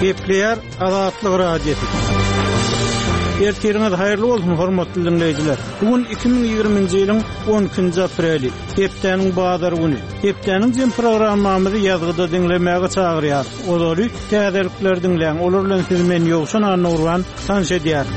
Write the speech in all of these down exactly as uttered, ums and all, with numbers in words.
Gepleýär Azatlyk Radiosy. Ertiriňiz haýyrly bolsun, hormatly dinleýjiler. Bu gün iki müň ýigriminji ýylyň on ikinji apreli, hepdäniň bazar güni. Hepdäniň jem programmamyzy ýazgyda diňlemäge çagyrýar. Ozaly täzelikleri diňläň. Olar bilen sizi men Ýowşan Annagurban tanyş edýärin.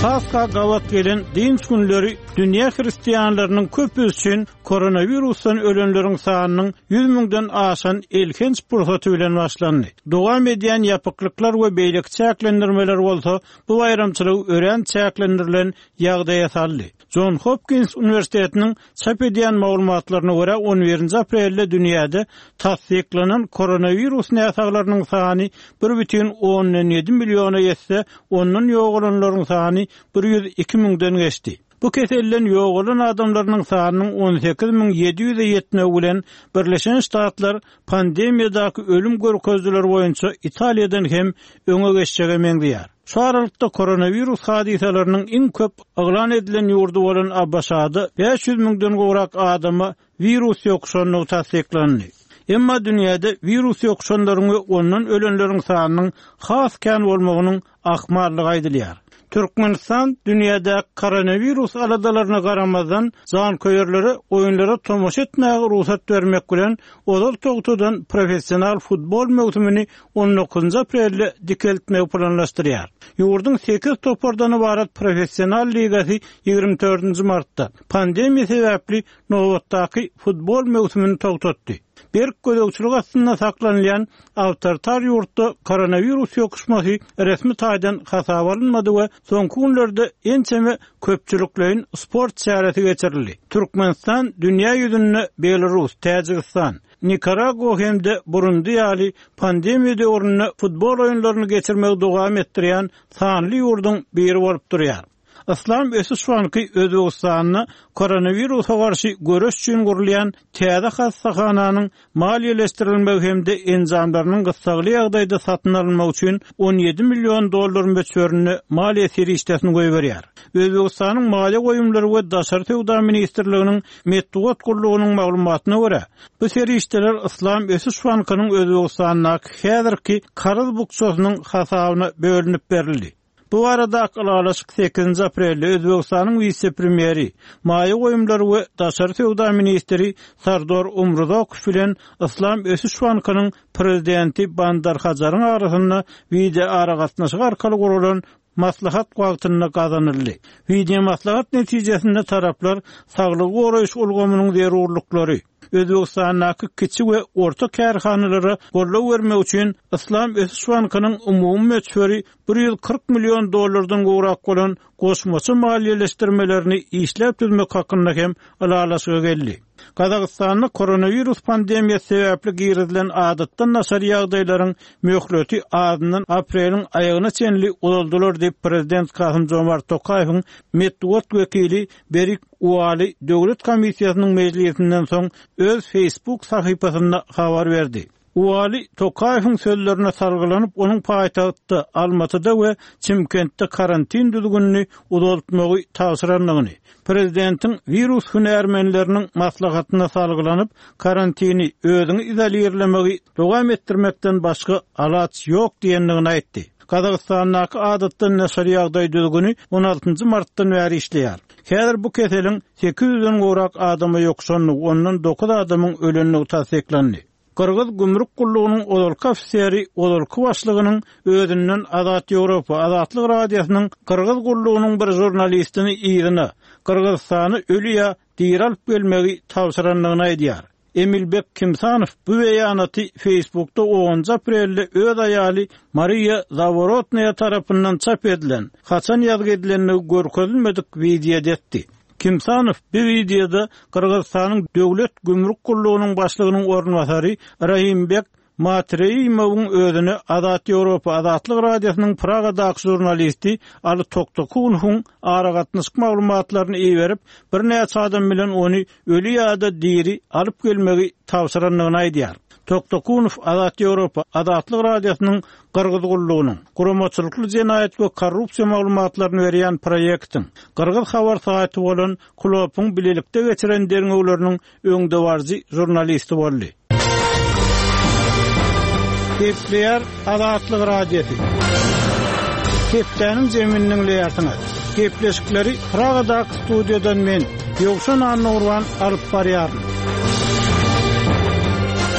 Pasha gabat gelen dynç günleri dünýä hristianlarynyň köpüsi üçin koronawirusdan ölenleriň sanynyň ýüz müňden aşan elhenç pursaty bilen başlandy. Dowam edýän ýapyklyklar we beýleki çäklendirmeler bolsa bu baýramçylygy örän çäklendirilen ýagdaýa saldy. John Hopkins Uniwersitetiniň çap edýän maglumatlaryna görä on birinji aprelde dünýäde tassyklanan koronawirus näsaglarynyň sany bir bütin ondan ýedi milliona ýetse, ondan ýogalanlaryň sany bir ýüz iki müňden geçdi. Bu keselden ýogalan adamlarynyň sanynyň on sekiz müň ýedi ýüze ýetmegi bilen Birleşen Ştatlar pandemiýadaky ölüm görkezijileri boýunça Italiýadan hem öňe geçjege meňzeýär. Şu aralykda koronawirus hadysalarynyň iň köp yglan edilen ýurdy bolan A B Ş-da bäş ýüz müňden gowrak adama wirus ýokuşandygy tassyklandy. Emma dünýäde wirus ýokuşanlaryň we ondan ölenleriň sanynyň has kän bolmagynyň ahmallygy aýdylýar. Türkmenistan dünýäde koronawirus aladalaryna garamazdan janköýerlere oýunlara tomaşa etmäge rugsat bermek bilen ozal togtadan professional futbol möwsümini on dokuzynjy aprelde dikeltmegi planlaşdyrýar. Ýurduň sekiz topardan ibarat professional ligasy ýigrimi dördünji martda pandemiýa sebäpli nobatdaky futbol möwsümini togtatdy. Berk gözegçilik astynda saklanylýan awtoritar ýurtda koronawirus ýokuşmasy resmi taýdan hasaba alynmady we soňky günlerde ençeme köpçülikleýin sport çäresi geçirildi. Türkmenistan dünýä ýüzünde Belarus, Täjigistan, Nikaragua hem-de Burundi ýaly pandemiýa döwründe futbol oýunlaryny geçirmegi dowam etdirýän sanly ýurduň biri bolup durýar. Islam Ösüş Banky Özbekistanda koronawirusa garşy göreş üçin gurulýan täze hastahananyň maliýeleşdirilmegi hem-de enjamlarynyň gyssagly ýagdaýda satyn alynmagy üçin on ýedi million dollar möçberinde maliýe serişdesini goýberýär. Özbekistanyň Maliýe goýumlary we Daşary söwda ministrliginiň metbugat gullugynyň maglumatyna görä, bu serişdeler Islam Ösüş Bankynyň Özbekistandaky häzirki karz bukjasynyň hasabyna bölünip berildi. Bu arada ylalaşyk sekizinji aprelde Özbekistanyň wise-premýeri, Maliýe goýumlary we Daşary söwda ministri Sardor Umurzokow bilen Islam Ösüş Bankynyň prezidenti Bandar Hajaryň arasynda wideo aragatnaşyk arkaly guralan maslahat wagtynda gazanyldy. Wideo maslahat netijesinde taraplar saglygy goraýyş ulgamynyň zerurlyklary, Özbekistandaky kiçi we orta kärhanalara goldaw bermek üçin Islam Ösüş Bankynyň umumy möçberi bir ýüz kyrk million dollardan gowrak bolan goşmaça maliýeleşdirmelerini işläp düzmek hakynda hem ylalaşyga geldi. Gazagystanda koronawirus pandemiýasy sebäpli girizilen adatdan daşary ýagdaýlaryň möhleti azyndan apreliň aýagyna çenli uzaldylar diýip prezident Kasym-Jomart Tokaýewiň metbugat wekili Berik Uali Döwlet komissiýasynyň mejlisinden soň öz Facebook sahypasynda habar berdi. Uali Tokaýewiň sözlerine salgylanyp, onuň paýtagtda Almatyda we Çimkentde karantin düzgünini uzaltmagy tabşyrandygyny, prezidentiň wirus hünärmenleriniň maslahatyna salgylanyp, karantini özüňi izolirlemegi dowam etdirmekden başga alaç ýok diýendigini aýtdy. Gazagystandaky adatdan daşary ýagdaý düzgüni on altynjy martdan bäri işleýär. Häzir bu keseliň sekiz ýüzden gowrak adama ýokuşandygy, ondan dokuz adamyň ölendigi tassyklandy. Gyrgyz gümrük gullugynyň ozalky ofiseri, ozalky başlygynyň özünden Azat Ýewropa, Azatlyk Radiosynyň Gyrgyz gullugynyň bir žurnalistini yzyna, Gyrgyzystany öli ýa diri alyp gelmegi tabşyrandygyny aýdýar. Emilbek Kimsanow bu beýanaty Facebookda onunjy aprelde öz aýaly Mariya Zaworotnaya tarapyndan çap edilen, haçan ýazgy edilendigi görkezilmedik wideoda etdi. Kimsanow bu wideoda Gyrgyzystanyň Döwlet Gümrük Gullugynyň başlygynyň orunbasary Rahimbek Matreýimowyň özüne Azat Ýewropa Azatlyk Radiosynyň Pragadaky žurnalisti Ali Toktakunowyň aragatnaşyk maglumatlaryny iberip, birnäçe adam bilen ony öli ýa-da diri alyp gelmegi tabşyrandygyny aýdýar. Toktakunow Azat Ýewropa Azatlyk Radiosynyň Gyrgyz gullugynyň guramaçylykly jenaýat we korrupsiýa maglumatlaryny berýän proýektiň Gyrgyz habar saýty bolan Klopyň bilelikde geçiren derňewleriniň öňdebaryjy žurnalisti boldy. Gepleýär Azatlyk Radiosy. Hepdäniň jemini diňleýärsiňiz. Gepleşikleri Pragadaky studiýadan men, Ýowşan Annagurban alyp barýaryn.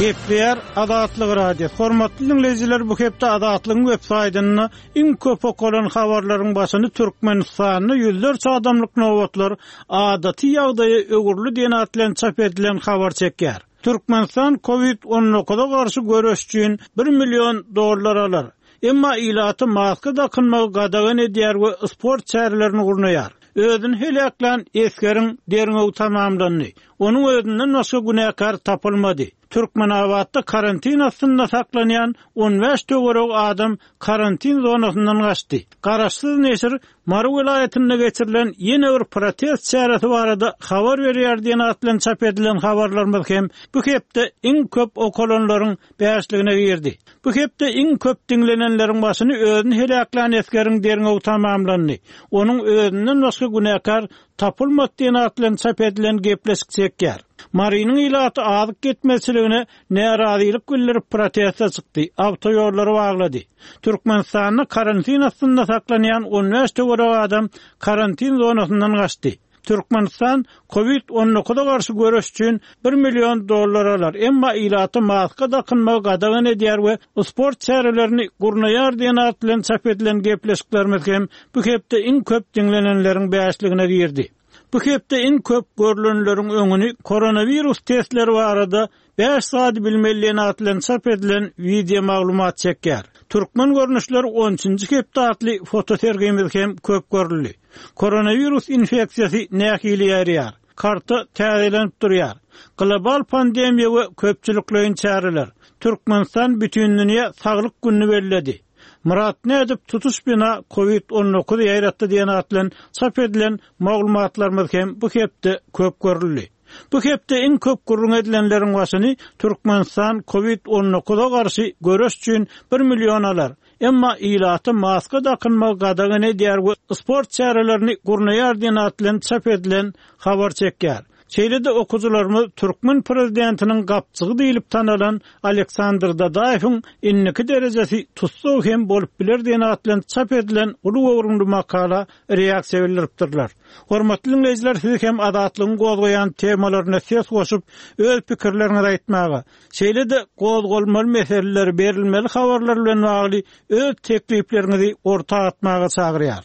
Gepleýär Azatlyk Radiosy. Hormatly diňleýjiler, bu hepde Azatlygyň web saýtynda iň köp okalan habarlaryň başyny Türkmenistanda ýüzlerçe adamlyk nobatlar adaty ýagdaýa öwrüldi diýen at bilen çap edilen habar çekýär. Türkmenistan COVID on dokuza garşy göreş üçin bir million dollar alar. Emma ilaty maska dakynmagy gadagan edýär we sport çärelerini gurnaýar. Özüni heläklän esgeriň derňewi tamamlandy. Onuň özünden başga günäkär tapylmady. Türkmenabatda karantin astynda saklanýan on bäş töweregi adam karantin zonasyndan gaçdy. Garaşsyz neşir Mary welaýatynda geçirilen ýene bir protest çäresi barada habar berýär diýen at bilen çap edilen habarlarymyz hem bu hepde iň köp okalanlaryň bäşligine girdi. Bu hepde iň köp diňlenenleriň başyny özüni heläklän esgeriň derňewi tamamlandy. Onuň özünden başga günäkär tapylmady diýen at bilen çap edilen gepleşik çekýär. Marynyň ilaty azyk ýetmezçiligine närazylyk bildirip proteste çykdy, awtoýollary baglady. Türkmenistanda karantin astynda saklanýan on bäş töweregi adam karantin zonasyndan gaçdy. Türkmenistan COVID on dokuza garşy göreş üçin bir million dollar alar. Emma ilaty maska dakynmagy gadagan edýär we sport çärelerini gurnaýar diýen at bilen çap edilen gepleşiklerimiz hem bu hepde iň köp diňlenenleriň bäşligine girdi. Bu hepde iň köp görülenleriň öňüni koronavirus testleri barada bäş saat bilmeli diýen at bilen çap edilen video maglumat çekýär. Türkmen görnüşleri on üçünji hepde atly fotosergimiz hem köp görüldi. Koronavirus infeksiyası nähili ýaýraýar? Karta täzelenip durýar. Global pandemiýa we köpçülikleýin çäreler. Türkmenistan bütün dünýä saglyk gününi belledi. Murat nädip tutuş bina COVID on dokuz ýaýratdy diýen at bilen çap edilen maglumatlarymyz hem bu hepde köp görüldi. Bu hepde iň köp gürrüň edilenleriň başyny Türkmenistan COVID on dokuza garşy göreş üçin bir million alar. Emma ilaty maska dakynmagy gadagan edýär we sport çärelerini gurnaýar diýen at bilen çap edilen habar çekýär. Şeýle-de okuwçylarymyz Türkmen prezidentiniň gapçygy diýilip tanalan Aleksandr Dadaýewiň indiki derejesi tussag hem bolup biler diýen at bilen çap edilen uly göwrümli makala reaksiýa bildiripdirler. Hormatly dinleýjiler, siz hem Azatlygyň gozgaýan temalaryna ses goşup, öz pikirleriňizi aýtmaga, şeýle-de gozgalmaly meseleleri, berilmeli habarlar bilen bagly öz teklipleriňizi orta atmaga çagyrýar.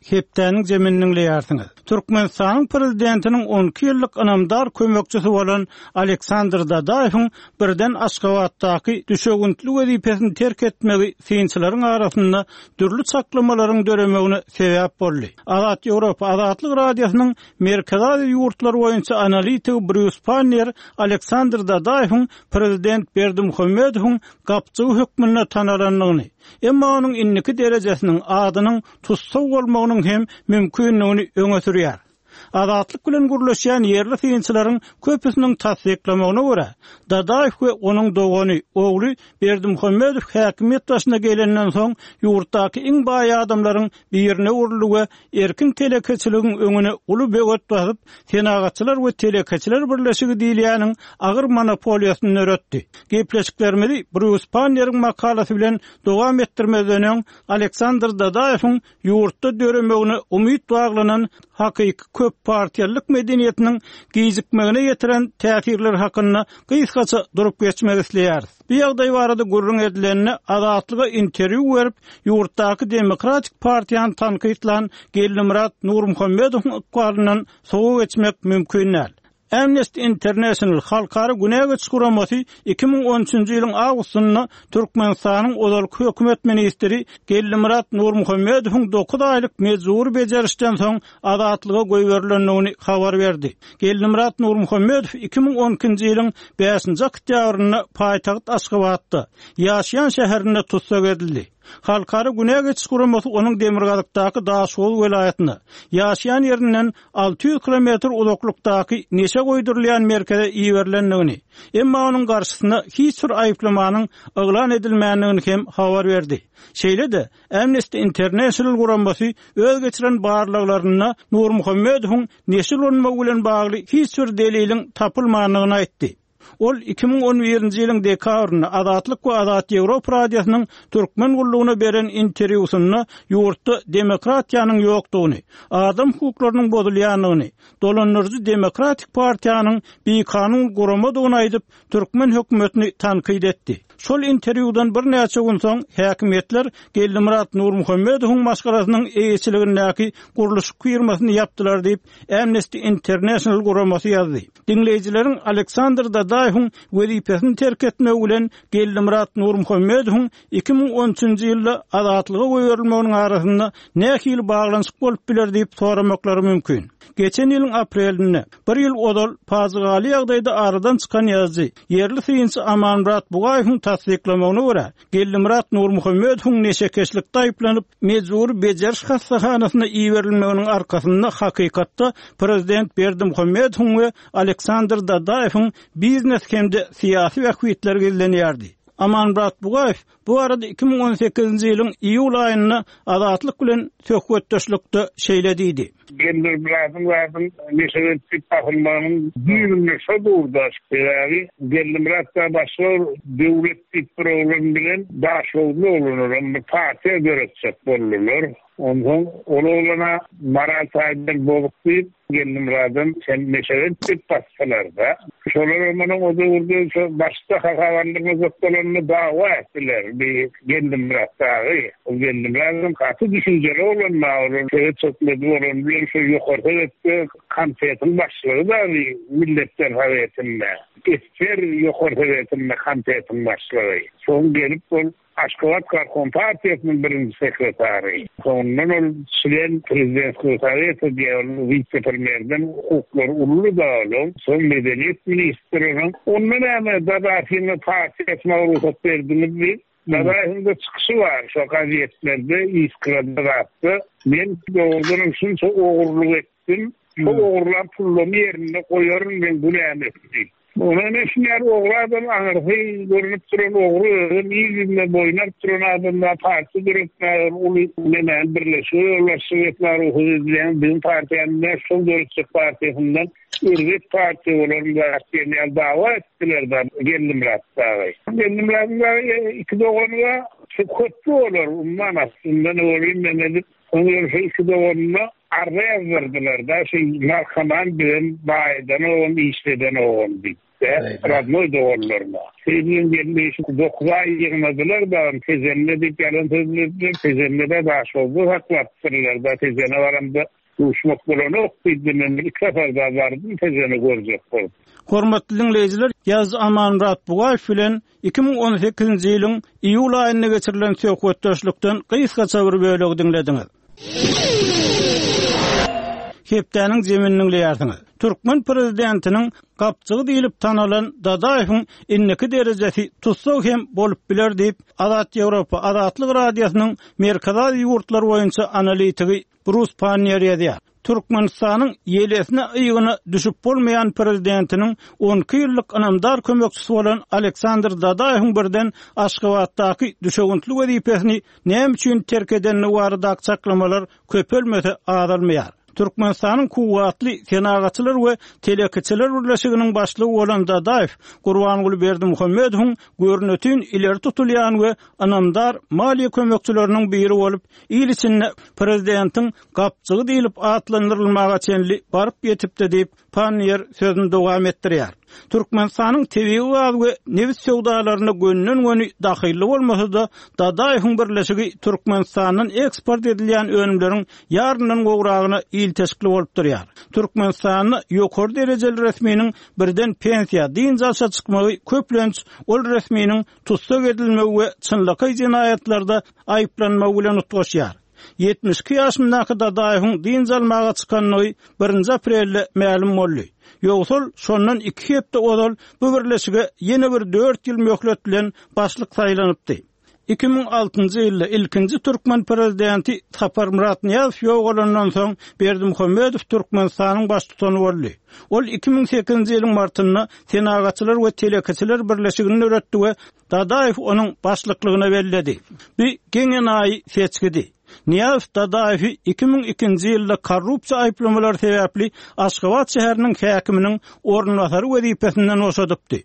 Hepdäniň jemini diňleýärsiňiz. Türkmenistanyň prezidentiniň on iki ýyllyk ynamdar kömekçisi bolan Aleksandr Dadaýewiň birden Aşgabatdaky düşewüntli wezipesini terk etmegi synçylaryň arasynda dürli çaklamalaryň döremegine sebäp boldy. Azat Ýewropa Azatlyk Radiosynyň Merkezi Aziýa ýurtlary boýunça analitigi Brýus Pannier Aleksandr Dadaýewiň prezident Berdimuhamedowyň gapçygy hökmünde tanalandygyny, emma onuň indiki derejesiniň adynyň tussag bolmagynyň hem mümkinligini öňe sürýär. Azatlyk bilen gürleşýän ýerli synçylaryň köpüsiniň tassyklamagyna görä, Dadaýew we onuň dogany, ogly Berdimuhamedow häkimiýet başyna gelenden soň ýurtdaky iň baý adamlaryň birine öwrüldi we erkin telekeçiligiň öňüne uly böwet basyp, Senagatçylar we Telekeçiler Birleşigi diýilýäniň agyr monopoliýasyny döretdi. Gepleşiklerimizi Brýus Pannieriň makalasy bilen dowam etdirmezden öň Aleksandr Dadaýewiň ýurtda döremegine umyt baglanan hakyky köp partiýalyk medeniýetiniň gijikmegine getiren täsirler hakynda gysgaça durup geçmek isleýäris. Bu ýagdaý barada gürrüň edilende Azatlyga interwýu berip, ýurtdaky Demokratik partiýany tankytlan Geldimyrat Nurmuhammedowyň ykbalyndan sowa geçmek mümkin däl. Amnesty International Halkara Günä Geçiş Guramasy iki müň on üçünji ýylyň awgustynda Türkmenistanyň ozalky hökümet ministri Geldimyrat Nurmuhammedowyň dokuz aýlyk mejbur bejerişden soň azatlyga goýberilendigini habar berdi. Geldimyrat Nurmuhammedow iki müň on ikinji ýylyň bäşinji oktýabrynda paýtagt Aşgabatda, ýaşaýan şäherinde tussag edildi. Halkara Günä Geçiş Guramasy onuň Demirgazykdaky Daşoguz welaýatynda, ýaşaýan ýerinden alty ýüz kilometr uzaklykdaky neşe goýdurylýan merkeze iberilendigini, emma onuň garşysyna hiç bir aýyplamanyň yglan edilmändigini hem habar berdi. Şeýle-de Amnesty International guramasy öz geçiren barlaglarynda Nurmuhammedowyň neşe ulanmagy bilen bagly hiç bir deliliň tapylmandygyny aýtdy. Ol iki müň on birinji ýylyň dekabrynda Azatlyk we Azat Ýewropa radiosynyň Türkmen gullugyna beren interwýusynda ýurtda demokratiýanyň ýokdugyny, adam hukuklarynyň bozulýandygyny, dolandyryjy Demokratik partiýanyň bikanun guramadygyny aýdyp, türkmen hökümetini tankyt etdi. Şol interwýudan birnäçe gün soň häkimiýetler Geldimyrat Nurmuhammedowyň maşgalasynyň eýeçiligindäki gurluşyk firmasyny ýapdylar diýip, Amnesty International guramasy ýazdy. Diňleýjileriň Aleksandr Dadaýewiň wezipesini terk etmegi bilen Geldimyrat Nurmuhammedowyň iki müň on üçünji ýylda azatlyga goýberilmeginiň arasynda nähili baglanyşyk bolup biler diýip soramaklary mümkin. Geçen ýylyň aprelinde, bir ýyl ozal pajygaly ýagdaýda aradan çykan ýazyjy, ýerli synçy Amanmyrat Bugaýewiň tassyklamagyna görä, Geldimyrat Nurmuhammedowyň neşekeşlikde aýyplanyp, mejbury bejeriş hassahanasyna iberilmeginiň arkasynda hakykatda prezident Berdimuhamedowyň we Aleksandr Dadaýewiň biznes hem-de syýasy bähbitleri gizlenýärdi. Amanmyrat Bugaýew bu arada iki müň on sekizinji ýylyň iýul aýynda Azatlyk bilen söhbetdeşlikde şeýle diýdi. Geldimyradyň zadyň neşekeşlik basylmagynyň düýbünde şo durda, sebäbi Geldimyrat da başga döwlet diýip bir oglan bilen Daşoguzly oglanlar bir partiýa döretjek boldular. Onsoň ol oglana moral taýdan bozuk diýip, Geldimyradyň sen neşekeşlik basdylar-da. Şolar onuň o döwürde şo başda hasaplandyrmajak bolanyny dawa etdiler. Bir Geldimyrat dagy. O Geldimyradyň gaty düşünjeli oglan bar, ol sowet hökümeti bolan bilen şo ýokarky sowetde komitetiň başlygy da Milletler Sowetinde. Esger ýokarky sowetinde komitetiň başlygy. Soň gelip ol Aşgabat Garkon partiýasynyň birinji sekretary. Soňundan ol çlen prezidentski soweti diýen wise-premýerden hukuklary uly da ol. Soň medeniýet ministriniň onda näme Dadaýewiň partiýasyna rugsat berdiňiz diýip, Dadaýewiň de çykyşy bar şo gazetlerde, Iskrada zatda. Men dogrudanam şunça ogurlyk etdim. Şo ogurlan pullaryny ýerinde goýaryn men günämi diýip. Ona ne şunlar ogry adam aňyrsy görünüp duran ogry özüm il ýüzüne boýun alyp duran adamlar partiýa döretmäge uly nemäni birleşige ýolbaşçylyk etmäge rugsat edilýän biziň partiýamyzda şol döretjek partiýasyndan erbet partiýa bolan zat diýen ýaly dawa etdiler da Geldimyrat dagy. Geldimyradyň dagy iki dogany bar, şu köpli bolar, umuman aslynda ne bolýan men edip, onuň şu iki doganyna arza ýazdyrdylar da, şu narkoman bilen baýdan ogan, işleden ogan diýip, radnoý doganlaryna. Seýdiň geldi şu dokuz aý ýygnadylar da, Tejende diýip ýalan sözlediler, Tejende de Daşoguzda saklapdyrlar da, Tejene baramda duşmak bolanok diýdi, men iki sapar da bardym Tejene görjek bolup. Hormatly diňleýjiler, Ýaz Amanmyrat Bugaýew bilen iki müň on sekizinji ýylyň iýul aýynda geçirilen söhbetdeşlikden gysgaça bir bölegi diňlediňiz. Hepdäniň zemini diňleýärsiňiz. Türkmen prezidentiniň gapjygy diýlip tanalan Dadaýewiň indiki derejesi tussag hem bolup biler diýip, Azat Ýewropa Azatlyk Radiosynyň Merkezi Aziýa ýurtlary boýunça analitigi Brus Pannier ýazýar. Türkmenistanyň ýelesine ýygyna düşüp bolmaýan prezidentiniň on iki ýyllyk ynamdar kömekçisi bolan Aleksandr Dadaýewiň birden Aşgabatdaky düşewüntli wezipesini näme üçin terk edenligi baradaky çaklamalar köpelmese azalmaýar. Türkmenistanyň kuwwatly senagatçylar we telekeçiler birleşiginiň başlygy bolan Dadaýew Gurbanguly Berdimuhamedowyň görnütin ileri tutulýan we ynamdar maliýe kömekçileriniň biri bolup, il içinde prezidentiň gapjygy diýlip atlandyrylmaga çenli baryp ýetipdi diýip, Pannier sözüni dowam etdirýär. Türkmenistanyň tebigy gaz we nebit söwdalaryna gönden-göni dahylly bolmasa-da, Dadaýewiň birleşigi Türkmenistandan eksport edilýän önümleriň ýaryndan gowragyna ilteşikli bolup durýar. Türkmenistanda ýokary derejeli resminiň birden pensiýa, dynç alşa çykmagy köplenç ol resminiň tussag edilmegi we çynlakaý jenaýatlarda aýyplanmagy bilen utgaşýar. Ýetmiş iki ýaşyndaky Dadaýewiň dynç almaga çykanlygy birinji aprelde mälim boldy. Ýogsal şondan iki hepde ozal bu birleşige ýene bir dört ýyl möhlet bilen başlyk saýlanypdy. Iki müň altynjy ýylda ilkinji türkmen prezidenti Saparmyrat Nyýazow ýogalandan soň Berdimuhamedow Türkmenistanyň baştutany boldy. Ol iki müň sekizinji ýylyň martynda Senagatçylar we Telekeçiler birleşigini döretdi we Dadaýew onuň başlyklygyna belledi. Bu geň enaýy seçgidi. Nyýazow Dadaýewi iki müň ikinji ýylda korrupsiýa aýyplamalary sebäpli Aşgabat şäheriniň häkiminiň orunbasary wezipesinden boşadypdy.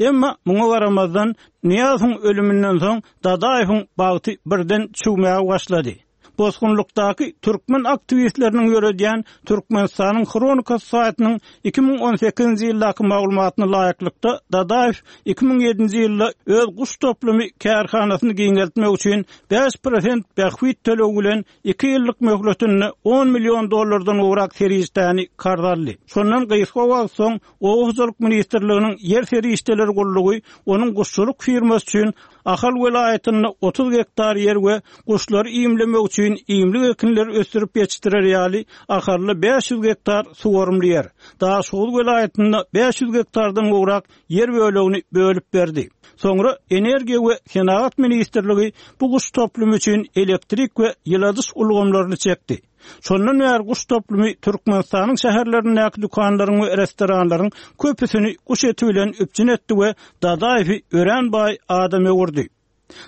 Emma muňa garamazdan Nyýazowyň ölüminden soň Dadaýewiň bagty birden çüwmäge başlady. Bosgunlukdaky türkmen aktiwistleriniň ýöredýän Türkmenistanyň Hronikasy saýtynyň iki müň on sekizinji ýyldaky maglumatyna laýyklykda Dadaýew iki müň ýedinji ýylda öz guş toplumy kärhanasyny giňeltmek üçin bäş prosent bähbit tölegi bilen iki ýyllyk möhletinde on million dollardan gowrak serişdäni karz aldy. Şondan gysga wagt soň Oba hojalyk ministrliginiň ýer serişdeleri gullugy onuň guşçulyk firmasy üçin Ahal welaýatynda otuz gektar ýer we guşlary iýmlemek üçin iýmlik ekinleri ösdürip ýetişdirer ýaly Ahalda bäş ýüz gektar suwarymly ýer, Daşoguz welaýatynda bäş ýüz gektardan gowrak ýer bölegini bölüp berdi. Soňra Energiýa we senagat ministrligi bu guş toplumy üçin elektrik we ýyladyş ulgamlaryny çekdi. Şondan bäri guş toplumy Türkmenistanyň şäherlerindäki dükanlaryň we restoranlaryň köpüsini guş eti bilen üpjün etdi we Dadaýewi örän baý adam öwürdi.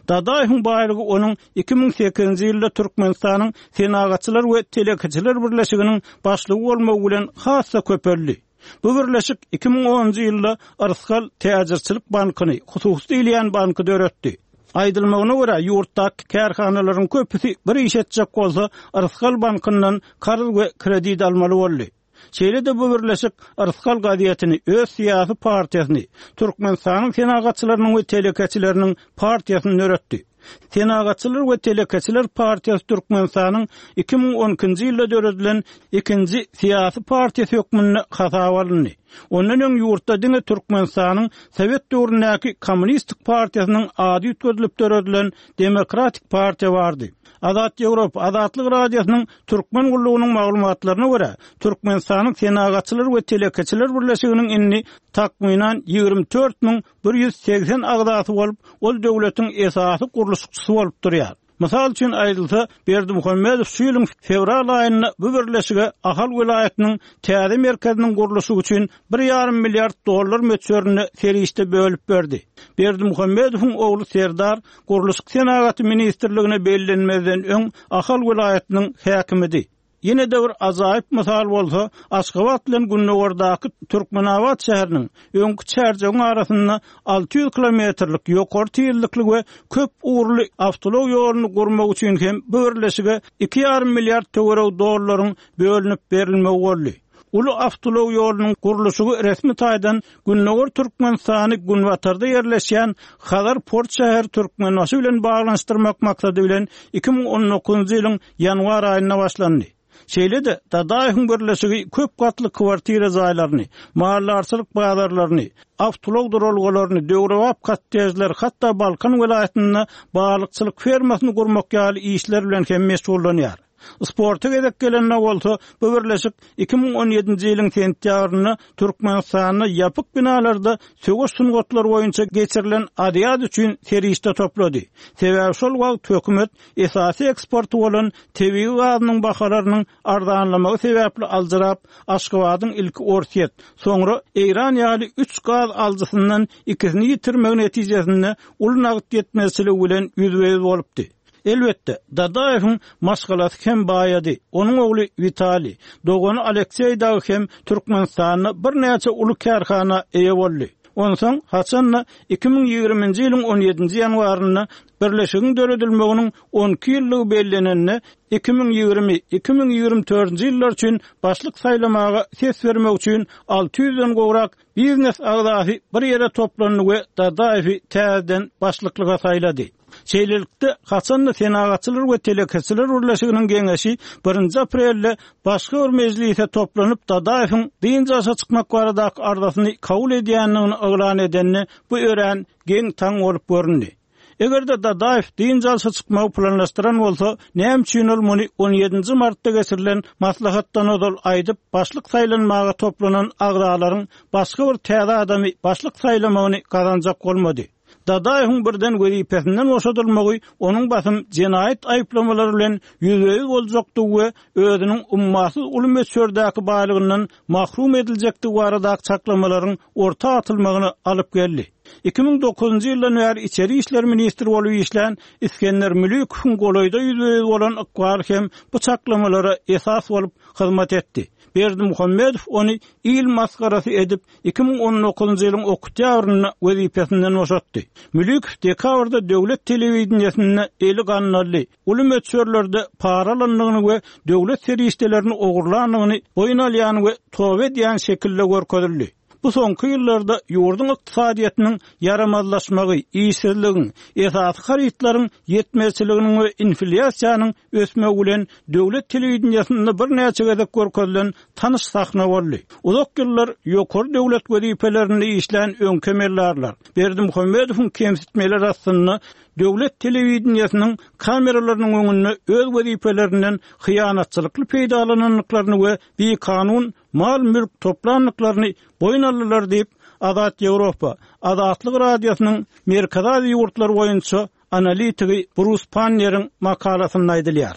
Dadaýewiň baýlygy onuň iki müň sekizinji ýylda Türkmenistanyň Senagatçylar we telekeçiler birleşiginiň başlygy bolmagy bilen has-da köpeldi. Bu birleşik iki müň onunjy ýylda Yrsgal täjirçilik bankyny, hususy diýilýän banky döretdi. Aýdylmagyna görä, ýurtdaky kärhanalaryň köpüsi bir iş etjek bolsa, Yrsgal bankyndan karz we kredit almaly boldy. Şeýle-de bu birleşik Yrsgal gazetini, öz syýasy partiýasyny, Türkmenistanyň senagatçylarynyň we telekeçileriniň partiýasyny döretdi. Senagatçylar we telekeçiler partiýasy Türkmenistanyň iki müň on ikinji ýylda döredilen ikinji syýasy partiýasy hökmünde hasaba alyndy. Ondan öň ýurtda diňe Türkmenistanyň Sowet döwründäki Kommunistik partiýasynyň ady üýtgedilip döredilen Demokratik partiýa bardy. Azat Ýewropa Azatlyk Radiosynyň Türkmen gullugynyň maglumatlaryna görä, Türkmenistanyň Senagatçylar we telekeçiler birleşiginiň indi takmynan ýigrimi dört müň bir ýüz segsen agzasy bolup, ol döwletiň esasy gurluşykçysy bolup durýar. Mysal üçin aýdylsa, Berdimuhamedow şu ýylyň fewral aýynda bu birleşige Ahal welaýatynyň täze merkeziniň gurluşygy üçin bir ýarym milliard dollar möçberinde serişde bölüp berdi. Berdimuhamedowyň ogly Serdar Gurluşyk senagaty ministrligine bellenmezden öň Ahal welaýatynyň häkimidi. Ýene-de bir ajaýyp mysal bolsa, Aşgabat bilen Gündogardaky Türkmenabat şäheriniň öňki Çärjewiň arasynda alty ýüz kilometrlik ýokary tizlikli we köp ugurly awtoulag ýoluny gurmak üçin hem bu birleşige iki ýarym milliard töweregi dollaryň bölünip berilmegi boldy. Uly awtoulag ýolunyň gurluşygy resmi taýdan Gündogar Türkmenistany Günbatarda ýerleşýän Hazar port şäheri Türkmenbaşy bilen baglanyşdyrmak maksady bilen iki müň on dokuzynjy ýylyň ýanwar aýynda başlandy. Şeýle-de Dadaýewiň birleşigi köp gatly kwartira jaýlaryny, maldarçylyk bazarlaryny, awtoulag duralgalaryny, döwrebap kottejler, hatda Balkan welaýatynda balykçylyk fermasyny gurmak ýaly işler bilen hem meşgullanýar. Sporta gezek gelende bolsa, bu birleşik iki müň on ýedinji ýylyň sentýabrynda Türkmenistanda ýapyk binalarda söweş sungatlary boýunça geçirilen Aziýada üçin serişde toplady. Sebäbi şol wagt hökümet esasy eksporty bolan tebigy gazynyň bahalarynyň arzanlamagy sebäpli aljyrap, Aşgabadyň ilki Orsýet, soňra Eýran ýaly üç gaz alyjysyndan ikisini ýitirmegi netijesinde uly nagt ýetmezçiligi bilen ýüzbe-ýüz bolupdy. Elbetde, Dadaýewiň maşgalasy hem baýady. Onuň ogly Witaliý, dogany Alekseý dagy hem Türkmenistanda birnäçe uly kärhana eýe boldy. Onsoň haçanda iki müň ýigriminji ýylyň on ýedinji ýanwarynda birleşigiň döredilmeginiň on iki ýyllygy bellenende iki müň ýigrimi, iki müň ýigrimi dördünji ýyllar üçin başlyk saýlamaga ses bermek üçin alty ýüzden gowrak biznes agzasy bir ýere toplandy we Dadaýewi täzeden başlyklyga saýlady. Şeýlelikde, haçanda Senagatçylar we telekeçiler birleşiginiň geňeşi birinji aprelde başga bir mejlise toplanyp Dadaýewiň dynç alşa çykmak baradaky arzasyny kabul edýändigini yglan edende bu örän geň taň bolup göründi. Eger-de Dadaýew dynç alşa çykmagy planlaşdyran bolsa, näme üçin ol muny on ýedinji martda geçirilen maslahatdan ozal aýdyp, başlyk saýlanmaga toplanan agzalaryň başga bir täze adamy başlyk saýlamagyny gazanjak bolmady? Dadaýewiň birden wezipesinden boşadylmagy onuň basym jenaýat aýyplamalary bilen ýüzbe-ýüz boljakdygy we özüniň ummasyz uly möçberdäki baýlygyndan mahrum ediljekdigi baradaky çaklamalaryň orta atylmagyna alyp geldi. Iki müň dokuzynjy ýyldan bäri içeri işler ministri bolup işlän Isgender Mülikowyň golaýda ýüzbe-ýüz bolan ykbaly hem bu çaklamalara esas bolup hyzmat etdi. Berdimuhamedow ony il masgarasy edip, iki müň on dokuzynjy ýylyň oktýabrynda wezipesinden boşatdy. Mülikow dekabrda döwlet telewideniýesinde eli gandally, uly möçberlerde para alyndygyny we döwlet serişdelerini ogurlandygyny boýun alýan we toba edýän şekilde görkezildi. Bu soňky ýyllarda ýurduň ykdysadyýetiniň ýaramazlaşmagy, işsizligiň, esasy harytlaryň ýetmezçiliginiň we inflýasiýanyň ösmegi bilen döwlet telewideniýesinde birnäçe gezek görkezilen tanyş sahna boldy. Uzak ýyllar ýokary döwlet wezipelerinde işlän öňki emeldarlar Berdimuhamedowyň kemsitmeleri astynda döwlet telewideniýesiniň kameralarynyň öňünde öz wezipelerinden hyýanatçylykly peýdalanandyklaryny we bikanun mal-mülk toplandyklaryny boýun aldylar diýip, Azat Ýewropa, Azatlyk Radiosynyň Merkezi Aziýa ýurtlary boýunça analitigi Brus Panneriň makalasynda aýdylýar.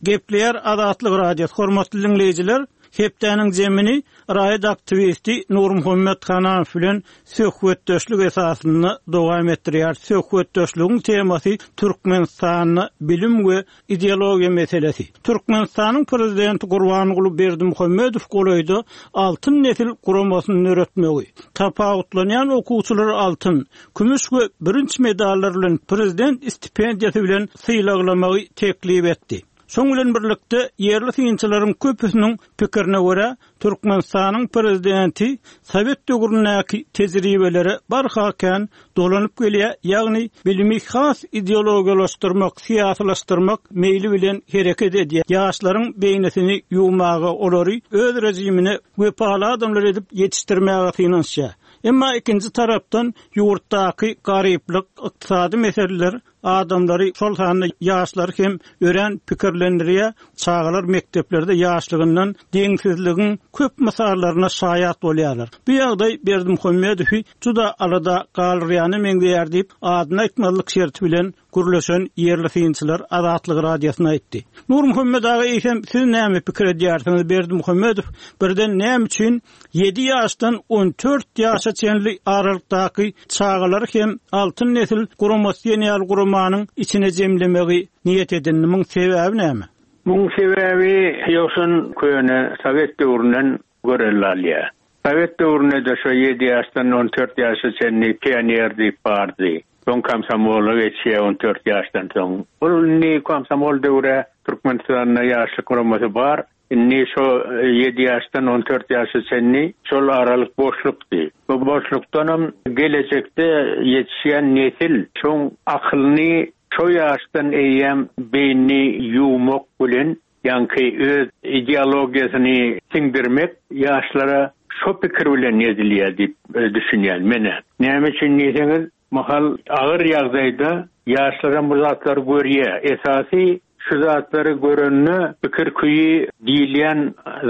Gepleýär Azatlyk Radiosy, hormatly dinleýjiler, hepdäniň zemini raýat aktiwisti Nurmuhammet Hananow bilen söhbetdeşlik esasynda dowam etdirýär. Söhbetdeşligiň temasy Türkmenistanda bilim we ideologiýa meselesi. Türkmenistanyň prezidenti Gurbanguly Berdimuhamedow golaýda Altyn nesil guramasyny döretmegi, tapawutlanýan okuwçylar altyn, kümüş we bürünç medallar bilen prezident stipendiýasy bilen sylaglamagy teklip etdi. Şoň bilen birlikde ýerli synçylaryň köpüsiniň pikirine görä, Türkmenistanyň prezidenti Sowet döwründäki tejribelere barha kän dolanyp gelýär, ýagny bilimi has ideologiýalaşdyrmak, syýasylaşdyrmak meýli bilen hereket edýär. Ýaşlaryň beýnisini ýuwmaga, olary öz rejimine wepaly adamlar edip ýetişdirmäge synanyşýar. Emma ikinji tarapdan ýurtdaky garyplyk, ykdysady meseleler adamlary, şol sanda ýaşlary hem örän pikirlendirýär. Çagalar mekdeplerde ýaşlygyndan deňsizligiň köp mysallaryna şaýat bolýarlar. Bu ýagdaý Berdimuhamedowy juda alada galyrýany meňzeýär diýip, adyny aýtmazlyk şerti bilen gürleşen ýerli synçylar Azatlyk Radiosyna aýtdy. Nurmuhammet aga, eýsem siz näme pikir edýärsiňiz? Berdimuhamedow birden näme üçin ýedi ýaşdan on dört ýaşa çenli aralykdaky çagalary hem Altyn nesil guramasy diýen ýaly guramanyň içine jemlemegi niýet edindi? Muň sebäbi näme? Muň sebäbi ýoksun köne Sowet döwründen görelde alýar. Sowet döwründe de şo ýedi ýaşdan on dört ýaşa çenli pioner diýip bardy. Soň komsomola geçýär on dört ýaşdan soň. Ol indi komsomol döwre Türkmenistanda ýaşlyk guramasy bar. Indi şo ýedi ýaşdan on dört ýaşa çenli şol aralyk boşlukdy. Bu boşlukdanam gelejekde ýetişýän nesil şoň akylyny şo ýaşdan eýýäm beýnini ýuwmak bilen, ýaňky öz ideologiýasyny siňdirmek ýaşlara şo pikir bilen edilýär diýip, e, düşünýän mene. Näme üçin diýseňiz, mahal agyr ýagdaýda ýaşlaram bu zatlary görýär. Esasy şu zatlary görende pikir küýi diýilýän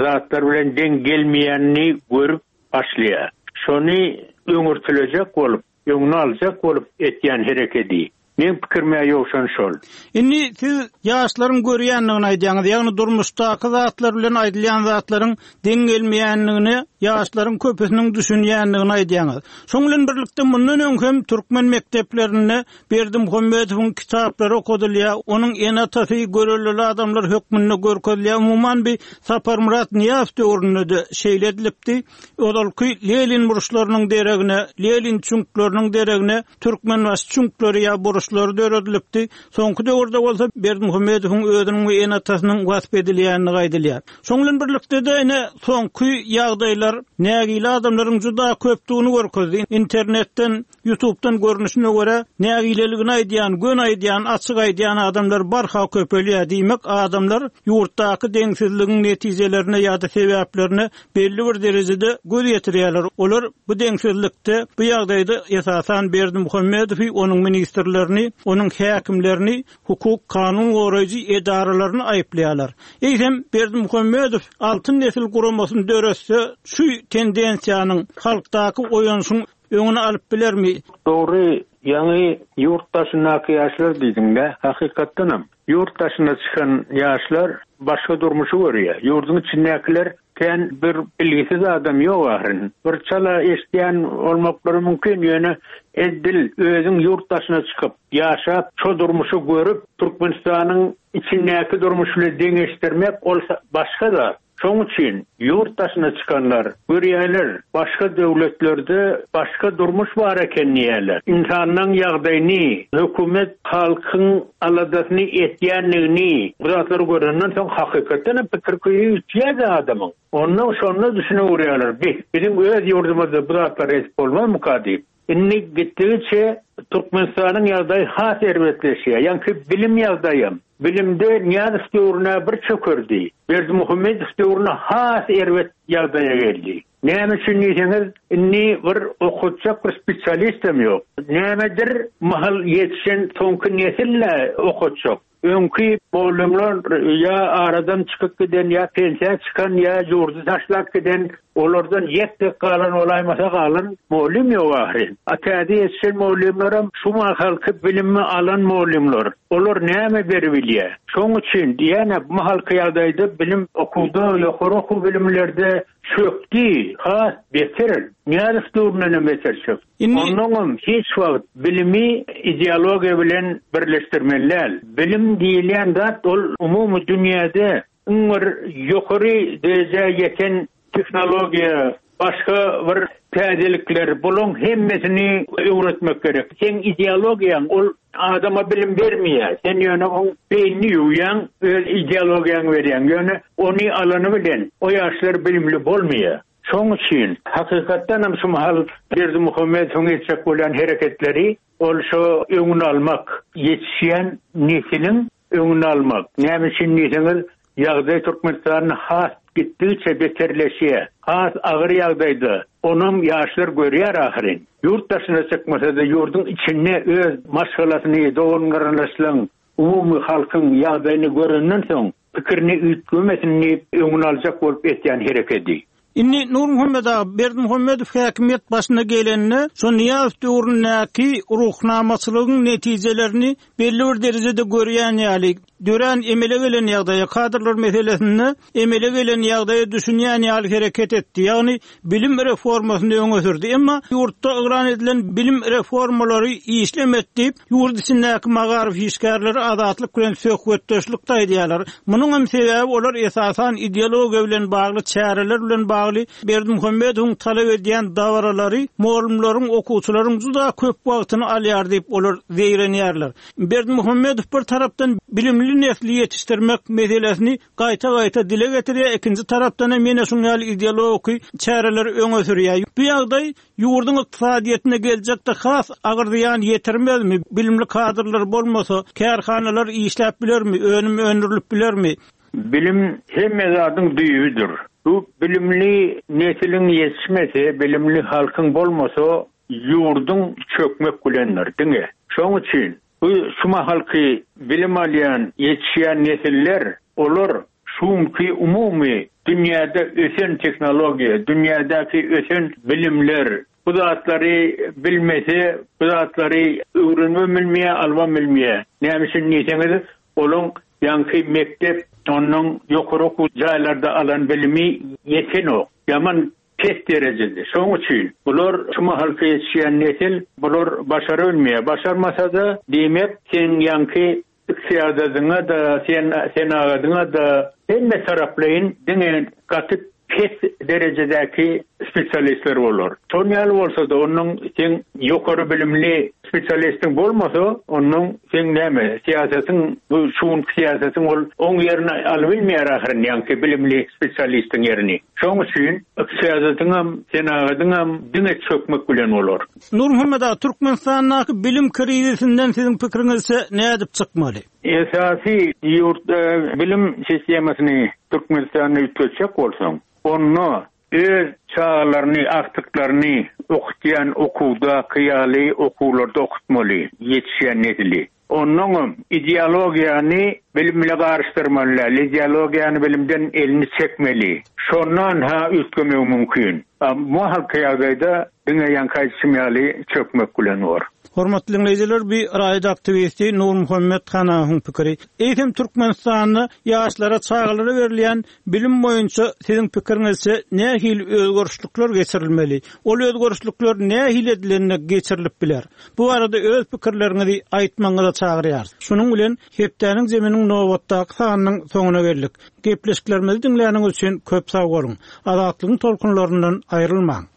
zatlar bilen deň gelmeýänini görüp başlaýar. Şony öňürtilejek bolup, öňüni aljak bolup etýän herekedi. Men pikirime ýokşan şol. Indi siz ýaşlaryň görýändigini aýdýaňyz, ýagny durmuşdaky zatlar bilen aýdylýan zatlaryň deň gelmeýändigini ýaşlaryň köpüsiniň düşünýändigini aýdýaňyz. Şoň bilen birlikde mundan öň hem türkmen mekdeplerinde Berdimuhamedowyň kitaplary okadylýar, onuň ene-atasy görelde adamlar hökmünde görkezilýär. Umuman bir Saparmyrat Nyýazow döwründe de şeýle edilipdi. Ozalky Lenin burçlarynyň deregine, Lenin çüňkleriniň deregine Türkmenbaşy çüňkleri ýa burçlary döredilipdi. Soňky döwürde bolsa Berdimuhamedowyň özüniň we ene-atasynyň wasp edilýänligi aýdylýar. Şoň bilen birlikde de ine soňky ýagdaýlar nägile adamlaryň juda köpdügini görkezdi. Internetden, YouTube'dan görnüşine görä nägileligini aýdýan, gön aýdýan, açyk aýdýan adamlar barha köpelýär. Diýmek, adamlar ýurtdaky deňsizligiň netijelerine ýa-da sebäplerine belli bir derejede göz ýetirýärler. Olar bu deňsizlikde, bu ýagdaýda esasan Berdimuhamedowy, onuň ministrlerini, onuň häkimlerini, hukuk kanun goraýjy edaralaryny aýyplaýarlar. Eýsem Berdimuhamedow Altyn nesil guramasyny döretse, şu tendensiýanyň halkdaky oýanyşyň öňüni alyp bilermi? Dogry, ýaňy ýurt daşyndaky ýaşlar diýdiňde, hakykatdanam ýurt daşyna çykan ýaşlar başga durmuşy görýär. Ýurduň içindäkiler Kän bir bilgisiz adam ýok ahyryn. Bir çala eşitýän olmaklary mümkin ýöne eddil özüň ýurt daşyna çykyp, ýaşap, şo durmuşy görüp, Türkmenistanyň içindäki durmuş bilen deňeşdirmek ol başga da. Şoň üçin ýurt daşyna çykanlar görýärler, başga döwletlerde başga durmuş bar eken diýerler. Insanlaryň ýagdaýyny, hökümet halkyň aladasyny etýänligini bu zatlary görenden soň hakykatdan hem pikir köýü ütýär adamyň. Ondan şonda düşüne urýarlar. Biz biziň öz ýurdumyzda bu zatlary etip bolmazmyka diýip. Indi gitdigiçe Türkmenistanyň ýagdaýy has erbetleşýär. Ýaňky bilim ýagdaýym. Bilimde Nyýazow döwrüne bir çökerdi. Berdimuhamedow döwrüne has erbet ýagdaýa geldi. Näme üçin diýseňiz, indi bir okutjak bir spesialistem ýok. Nämedir mahal ýetişen soňky nesille okutjak. Öňki mugallymlar ýa aradan çykyp giden ýa pensiýa çykan ýa ýurdy taşlap giden olardan ýek galan olaýmasa galan mugallym ýok ahyryn. A täze ýetişen mugallymlaram şu mahalky bilimi alan mugallymlar. Olar näme beribilýär? Şoň üçin diýene bu mahalky ýagdaýda bilim okuwda, ýokary okuw bilimlerde çökdi, has beter. Nyýazow döwründen beter çökdi. Onnoňam hiç wagt bilimi ideologiýa bilen birleşdirmeli däl. Bilim diýilýän zat ol umumy dünýäde iň bir ýokary derejä ýeten tehnologiýa, başga bir täzelikler, buluň hemmesini öwretmek gerek. Sen ideologiýaň ol adama bilim bermeýär. Sen ýöne oň beýnini ýuwýaň, öz ideologiýaňy berýäň. Ýöne ony alany bilen o ýaşlar bilimli bolmaýar. Şoň üçin hakykatdan hem şu mahal Berdimuhamedowyň etjek bolýan hereketleri ol şo öňüni almak, ýetişýän nesiliň öňüni almak. Näme üçin diýseňiz, ýagdaý Türkmenistanyň has gitdigiçe beterleşýär. Has agyr ýagdaýda. Onam ýaşlar görýär ahyryn. Ýurt daşyna çykmasa da ýurduň içinde öz maşgalasyny, dogan-garyndaşlaryň, umumy halkyň ýagdaýyny görenden soň pikirini üýtgemesin diýip öňüni aljak bolup etýän hereketi. Indi Nurmuhammet aga Berdimuhamedow häkimiýet başyna gelende, şo Nyýazow döwründäki ruhnamaçylygyň netijelerini belli bir derejede görýän ýaly, dörän emele gelen ýagdaýa, kadrlar meselesinde emele gelen ýagdaýa düşünýän ýaly hereket etdi. Ýagny bilim reformasyny öňe sürdi. Emma ýurtda yglan edilen bilim reformalary işlemet diýip, ýurt içindäki magaryf işgärleri azatlyk bilen söhbetdeşlik aýdýarlar. Munuň hem sebäbi olar esasan ideologiýa bilen bagly çäreler bilen bagly Berdimuhamedowyň talap edýän dabaralary mugallymlaryň, okuwçylaryň juda köp wagtyny alýar diýip olar zeýrenýärler. Berdimuhamedow bir tarapdan bilimli nesli ýetişdirmek meselesini gaýta-gaýta dile getirýär, ikinji tarapdan hem ýene şuň ýaly ideologik çäreleri öňe sürýär. Bu ýagdaý ýurduň ykdysadyýetine geljekde has agyr zyýan ýetirmezmi? Bilimli kadrlar bolmasa, kärhanalar işläp bilermi, önüm öndürilip bilermi? Bilim hemme zadyň düýbüdir. Bu bilimli nesiliň ýetişmesi, bilimli halkyň bolmasa, ýurduň çökmek bilendir diňe. Şoň üçin bu şu mahalky bilim alýan, ýetişýän nesiller, olar şunki umumy dünýäde ösen tehnologiýa, dünýädäki ösen bilimler, bu zatlary bilmese, bu zatlary öwrenme bilmeýär, alma bilmeýär. Näme üçin diýseňiz, olaň ýaňky mektep, ondan ýokary okuw jaýlarda alan bilimi ýetenok. Ýaman pes derejede. Şoň üçin bular şu mahalky ýetişýän nesil, bular başara bilmeýär. Başarmasa da diýmek sen ýaňky ykdysadyňa da, sen senagadyňa da hemme taraplaýyn diňe gaty pes derejedäki spesialistler bolar. Şon ýaly bolsa da onuň sen ýokary bilimli spesialistiň bolmasa, onuň sen näme syýasatyň bu şuň syýasatyň ol oň ýerine alyp bilmeýär ahyryn ýaňky bilimli spesialistiň ýerini. Şoň üçin ykdysadyň hem senagadyň hem diňe çökmek bilen bolar. Nurmuhammet aga, Türkmenistandaky bilim krizisinden siziň pikiriňizçe nädip çykmaly? Esasy ýurtda bilim sistemasyny Türkmenistanda üýtgetjek bolsaň, onda öz çağlaryny, aktyklaryny okutýan okuwdaky ýaly okuwlarda okutmaly, ýetişýän nesili. Onnoňam ideologiýany bilim bilen garyşdyrmaly, ideologiýany bilimden elini çekmeli. Şondan ha üýtgemek mümkin. Bu halky ýagdaýda diňe ýaňky aýdyşym ýaly çökmek bilen bor. Hormatly dinleýjiler, bir raýat aktiwisti Nurmuhammet Hanawyň pikiri. Eýsem Türkmenistanda ýaşlara, çagalara berilýän bilim boýunça siziň pikiriňizçe nähili özgerişlikler geçirilmeli? Ol özgerişlikler nähili edilende geçirilip biler? Bu arada öz pikirleriňizi aýtmagyňyza çagyrýarys. Şunuň bilen hepdäniň zeminiň nobatdaky sanynyň soňuna geldik. Gepleşiklerimizi diňläniňiz üçin köp sag boluň. Azatlygyň tolkunlaryndan aýrylmaň.